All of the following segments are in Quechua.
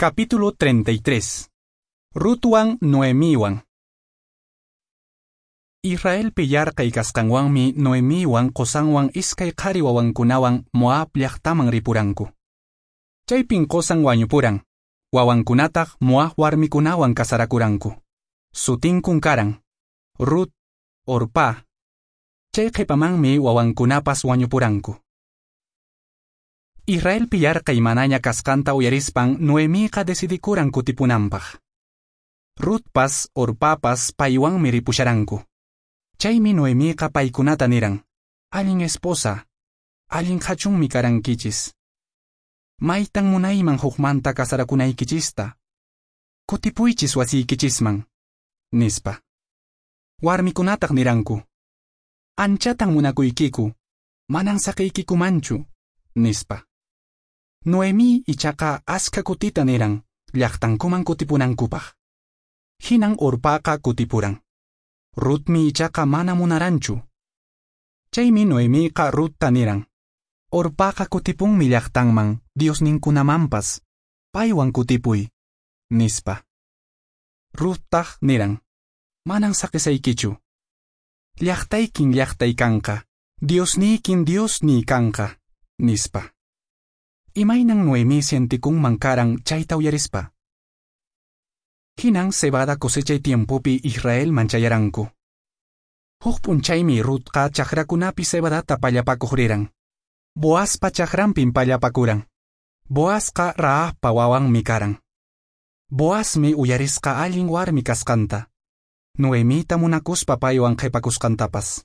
Capítulo 33. Rutwan Noemiwan. Israelpi yarqay kasqanwanmi Noemiwan qosanwan iskay qhari wawankunawan Moab llaqtaman ripuranku. Chaypin qosan wañupuran, wawankunataq Moab warmikunawan kasarakuranku. Sutinkun karan, Rut, Orpá. Chay qhipamanmi wawankunapas wañupuranku. Israelpi yarqay manaña kasqanta uyarispan Noemiqa decidikuran kutipunanpaq. Rutpas, Orpapas paywanmi ripusharanku. Chaymi Noemiqa paykunata niran, allin esposa, allin qhachunmi karankichis. Maytan munayman hukmanta kasarakunaykichista. Kutipuychis wasiykichisman, nispa. Warmikunataq niranku, anchatan munakuykiku, manan saqiykikumanchu, nispa. Noemí ichaqa askha kutita niran, llaqtankuman kutipunankupaq. Hinan Orpaqa kutipuran. Rutmi ichaqa mana munaranchu. Chaymi Noemiqa Rutta niran, Orpaqa kutipunmi llaqtanman, diosninkunamanpas, paywan kutipuy, nispa. Ruttaq niran, manan saqisaykichu. Llaqtaykin llaqtay kanqa, diosniykin diosniy kanqa, nispa. Imaynan Noemí sientikunman karan chayta uyarispa. Hinan cebada cosechay tiempopi Israelman chayaranku. Huk p'unchaymi Rutqa chakrakunapi cebadata pallapakuq riran. Boazpa chakranpin pallapakuran. Boazqa Rahabpa wawanmi karan. Boazmi uyarisqa allin warmi kasqanta. Noemita munakuspa paywan qhipakusqantapas.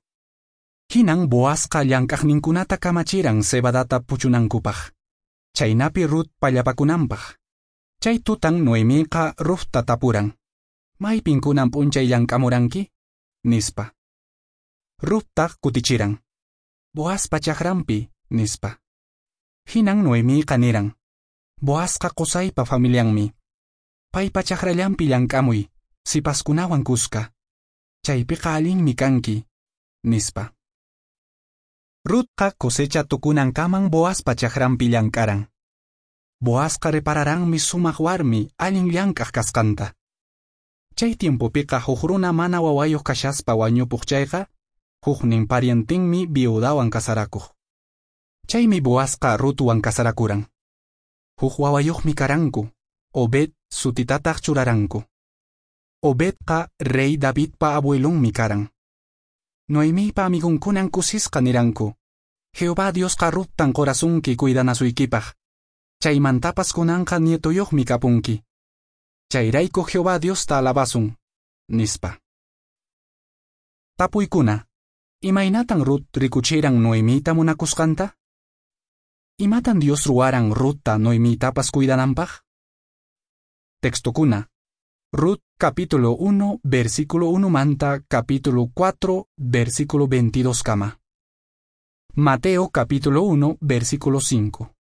Hinan Boazqa llank'aqninkunata kamachiran cebadata puchunankupaq. Chaynapi Rut pallapakunanpaq. Chay tutan Noemiqa Rutta tapuran. Maypin kunan p'unchay llank'amuranki? Nispa. Ruttaq kutichiran. Boazpa chakranpi, nispa. Hinan Noemiqa niran. Boazqa qusaypa familianmi. Paypa chakrallanpi llank'amuy, sipaskunawan kuska. Chaypiqa allinmi kanki, nispa. Rutqa cosecha tukunankaman Boazpa chakranpi llank'aran. Boazqa repararanmi sumaq warmi allin llank'aq kasqanta. Chay tiempopiqa huk runa mana wawayuq kashaspa wañupuq chayqa, huknin parientinmi viudawan kasarakuq. Chaymi Boazqa Rutwan kasarakuran. Huk wawayuqmi karanku, Obed sutitataq churaranku. Obedqa rey Davidpa abuelonmi karan. Noemipa amigunkunan kusisqa niranku, Jehová Diosqa Ruttan qorasunki cuidanasuykipaq. Chaymantapas kunanqa nietoyuqmi kapunki. Chayrayku Jehová Diosta alabasun, nispa. Tapuykuna, imaynatan Rut rikuchiran Noemita munakusqanta? Imatan Dios ruwaran Rutta Noemitapas cuidananpaq? Textokuna. Rut capítulo 1, versículo 1 manta, capítulo 4, versículo 22 kama. Mateo capítulo 1, versículo 5.